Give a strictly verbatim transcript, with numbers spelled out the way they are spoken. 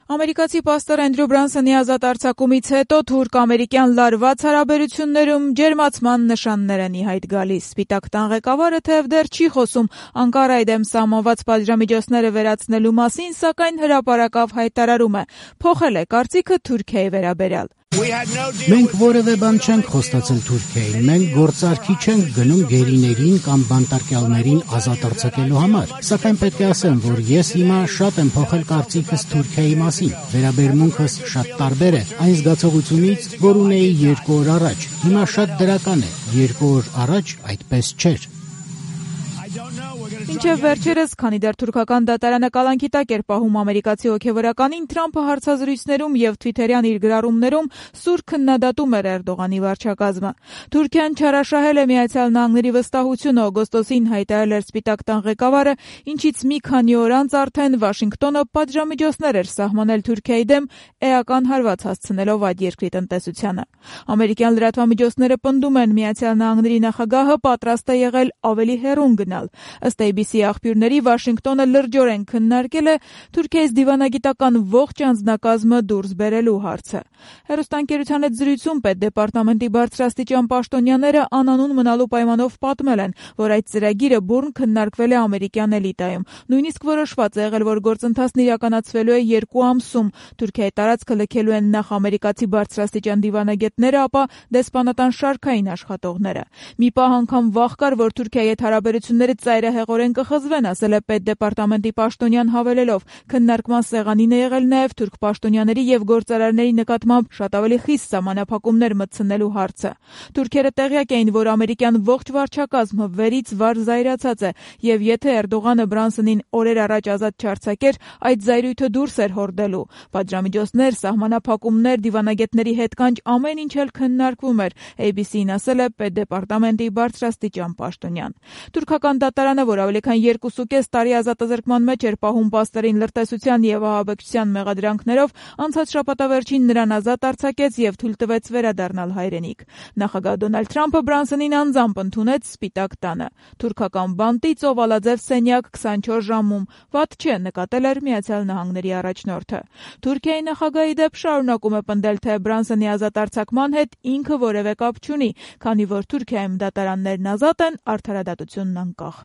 Ամերիկացի պաստոր Էնդրյու Բրանսոնի ազատ արձակումից հետո թուրք-ամերիկյան լարված հարաբերություններում ջերմացման նշաններ են ի հայտ գալիս։ Սպիտակ տան ղեկավարը թեև դեռ չի խոսում Անկարայի դեմ սահմանված պատժամիջոցները վերացնելու մասին, սակայն հրապարակավ հայտարարում է՝ փոխել է կարծիքը Թուրքիայի վերաբերյալ։ Մենք որևէ բան չենք խոստացել Թուրքիային, մենք գործարքի չենք գնում գերիներին կամ բանտարկյալներին ազատ արձակելու համար, սակայն պետք է ասեմ, որ ես հիմա շատ եմ փոխել կարծիքս Թուրքիայի մասին, վերաբերմունքս շատ տարբեր է այն զգացողությունից, որ ունեի երկու օր առաջ, հիմա շատ դրական է, երկու օր առաջ այդպես չէր։ Մինչև վերջերս, քանի դեռ թուրքական դատարանը կալանքի տակ էր պահում ամերիկացի հոգևորականին, Թրամփը հարցազրույցներում եւ թվիթերյան իր գրառումներում սուր քննադատում էր Էրդողանի վարչակազմը։ Թուրքիան չարաշահել է Միացյալ Նահանգների վստահությունը, օգոստոսին հայտարարել էր Սպիտակ տան ղեկավարը, ինչից մի քանի օր անց արդեն Վաշինգտոնը պատժամիջոցներ էր սահմանել Թուրքիայի դեմ, էական հարված հասցնելով այդ երկրի տնտեսությանը։ Ամերիկյան լրատվամիջոցները պնդում են, Միացյալ Նահանգների նախագահը պատրաստ է եղել ավելի հեռուն գնալ։ Ըստ A B C աղբյուրների, Վաշինգտոնը լրջորեն քննարկել է Թուրքիայից դիվանագիտական ողջ անձնակազմը դուրս բերելու հարցը։ Հեռուստաընկերության հետ զրույցում պետդեպարտամենտի բարձրաստիճան պաշտոնյաները անանուն մնալու պայմանով պատմել են, որ այդ ծրագիրը բուռն քննարկվել է ամերիկյան էլիտայում։ Նույնիսկ որոշված է եղել, որ գործընթացն իրականացվելու է երկու ամսում։ Թուրքիայի տարածքը լքելու են նախ ամերիկացի բարձրաստիճան դիվանագետները, ապա դեսպանատան շարքային աշխատողները։ Մի պահ անգամ վախ կար, որ Թուրքիայի հետ հարաբերությունները ծայրահեղորեն կխզվեն, ասել է պետդեպարտամենտի պաշտոնյան հավելելով։ Քննարկման սեղանին է եղել նաև թուրք պաշտոնյաների եւ գործարարների նկատմամբ շատ ավելի խիստ սահմանափակումներ մտցնելու հարցը։ Թուրքերը տեղյակ էին, որ ամերիկյան ողջ վարչակազմը վերից վար զայրացած է, եւ եթե Էրդողանը Բրանսոնին օրեր առաջ ազատ չարձակեր, այդ զայրույթը դուրս էր հորդելու։ Պատժամիջոցներ, սահմանափակումներ, դիվանագետների հետ կանչ ամեն ինչ էլ քննարկվում էր, A B C-ին ասել է պետդեպարտամենտի բարձրաստիճան պաշտոնյան։ Թուրքական դատարանը, որ ավելի քան երկուսուկես տարի ազատազրկման մեջ էր պահում պաստերին լրտեսության եւ ահաբեկչության մեղադրանքներով, անցած շաբաթավերջին նրան ազատ արձակեց եւ թույլ տվեց վերադառնալ հայրենիք։ Նախագահ Դոնալդ Թրամփը Բրանսոնին անձամբ ընդունեց Սպիտակ տանը։ Թուրքական բանտից օվալաձև սենյակ քսանչորս ժամում, վատ չէ, նկատել էր Միացյալ Նահանգների առաջնորդը։ Թուրքիայի նախագահի դեպ շարունակում է պնդել, թե Բրանսոնի ազատ արձակման հետ ինքը որևէ կապ չունի, քանի որ Թուրքիայում դատարաններն ազատ են, արդարադատությունն անկախ։